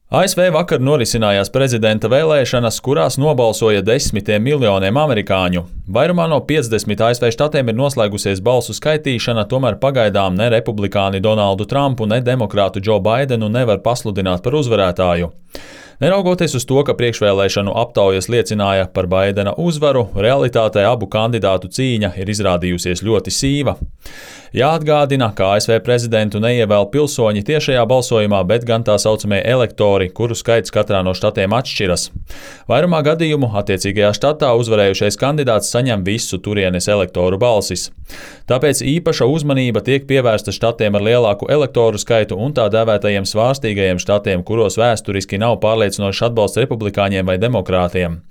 ASV vakar norisinājās prezidenta vēlēšanas, kurās nobalsoja desmitiem miljoniem amerikāņu. Vairumā no 50 ASV štatiem ir noslēgusies balsu skaitīšana, tomēr pagaidām ne republikāni Donaldu Trumpu, ne demokrātu Džo Baidenu nevar pasludināt par uzvarētāju. Neraugoties uz to, ka priekšvēlēšanu aptaujas liecināja par Baidena uzvaru, realitātē abu kandidātu cīņa ir izrādījusies ļoti sīva. Jāatgādina, ka ASV prezidentu neievēl pilsoņi tiešajā balsojumā, bet gan tā saucamie elektori, kuru skaits katrā no štatiem atšķiras. Vairumā gadījumu attiecīgajā štatā uzvarējušais kandidāts saņem visu turienes elektoru balsis. Tāpēc īpaša uzmanība tiek pievērsta štatiem ar lielāku elektoru skaitu un tā dēvētajiem svārstīgajiem štatiem, kuros vēsturiski nav pārliecinošs atbalsts republikāņiem vai demokrātiem.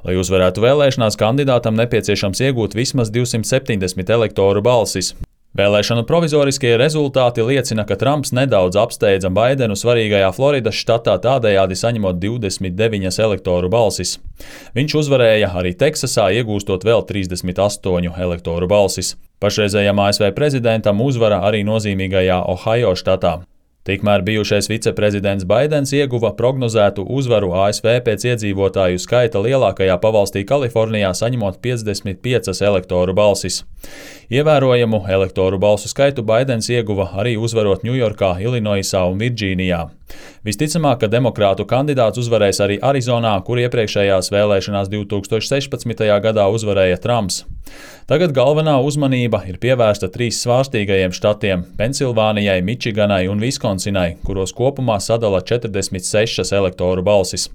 Lai uzvarētu vēlēšanās, kandidātam nepieciešams iegūt vismaz 270 elektoru balsis. Vēlēšanu provizoriskie rezultāti liecina, ka Trumps nedaudz apsteidza Baidenu svarīgajā Floridas štatā, tādējādi saņemot 29 elektoru balsis. Viņš uzvarēja arī Teksasā, iegūstot vēl 38 elektoru balsis. Pašreizējam ASV prezidentam uzvara arī nozīmīgajā Ohajo štatā. Tikmēr bijušais viceprezidents Baidens ieguva prognozētu uzvaru ASV pēc iedzīvotāju skaita lielākajā pavalstī Kalifornijā, saņemot 55 elektoru balsis. Ievērojamu elektoru balsu skaitu Baidens ieguva arī uzvarot Ņujorkā, Ilinoisā un Virdžīnijā. Visticamāk, ka demokrātu kandidāts uzvarēs arī Arizonā, kur iepriekšējās vēlēšanās 2016. gadā uzvarēja Trumps. Tagad galvenā uzmanība ir pievērsta 3 svārstīgajiem štatiem – Pensilvānijai, Mičiganai un Viskonsinai, kuros kopumā sadala 46 elektoru balsis.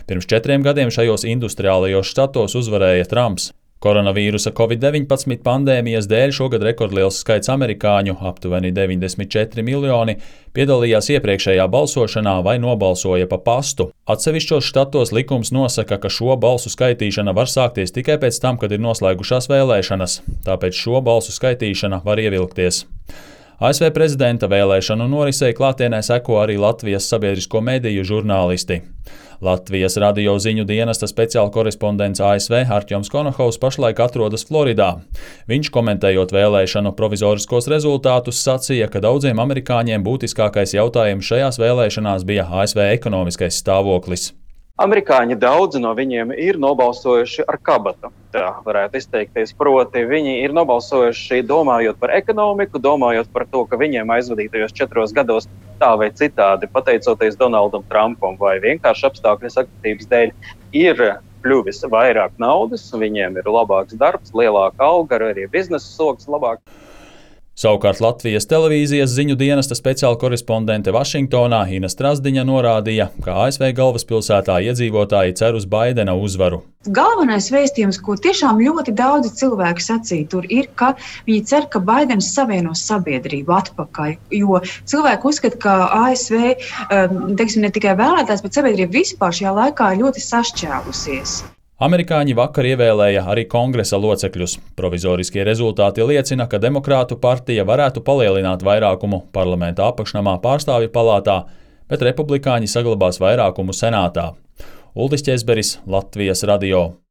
Pirms 4 gadiem šajos industriālajos štatos uzvarēja Trumps. Koronavīrusa Covid-19 pandēmijas dēļ šogad rekordliels skaits amerikāņu, aptuveni 94 miljoni, piedalījās iepriekšējā balsošanā vai nobalsoja pa pastu. Atsevišķos štatos likums nosaka, ka šo balsu skaitīšana var sākties tikai pēc tam, kad ir noslēgušās vēlēšanas, tāpēc šo balsu skaitīšana var ievilkties. ASV prezidenta vēlēšanu norisei klātienē seko arī Latvijas sabiedrisko mediju žurnālisti. Latvijas radio ziņu dienesta speciāla korespondents ASV Artjoms Konohovs pašlaik atrodas Floridā. Viņš, komentējot vēlēšanu provizoriskos rezultātus, sacīja, ka daudziem amerikāņiem būtiskākais jautājums šajās vēlēšanās bija ASV ekonomiskais stāvoklis. Amerikāņi daudzi no viņiem ir nobalsojuši ar kabatu, tā varētu izteikties, proti viņi ir nobalsojuši domājot par ekonomiku, domājot par to, ka viņiem aizvadītajos 4 gados tā vai citādi, pateicoties Donaldam Trumpam vai vienkārši apstākļu sakritības dēļ, ir kļuvis vairāk naudas, viņiem ir labāks darbs, lielāka alga, arī biznesa sloks labāk. Savukārt Latvijas televīzijas ziņu dienesta speciāla korespondente Vašingtonā Ina Strazdiņa norādīja, ka ASV galvaspilsētā iedzīvotāji cer uz Baidena uzvaru. Galvenais vēstījums, ko tiešām ļoti daudzi cilvēki sacīja tur, ir, ka viņi cer, ka Baidens savienos sabiedrību atpakaļ, jo cilvēki uzskata, ka ASV, ne tikai vēlētājs, bet sabiedrība vispār šajā laikā ir ļoti sašķēlusies. Amerikāņi vakar ievēlēja arī kongresa locekļus. Provizoriskie rezultāti liecina, ka demokrātu partija varētu palielināt vairākumu parlamenta apakšnamā Pārstāvju palātā, bet republikāņi saglabās vairākumu senātā. Uldis Ķezberis, Latvijas radio.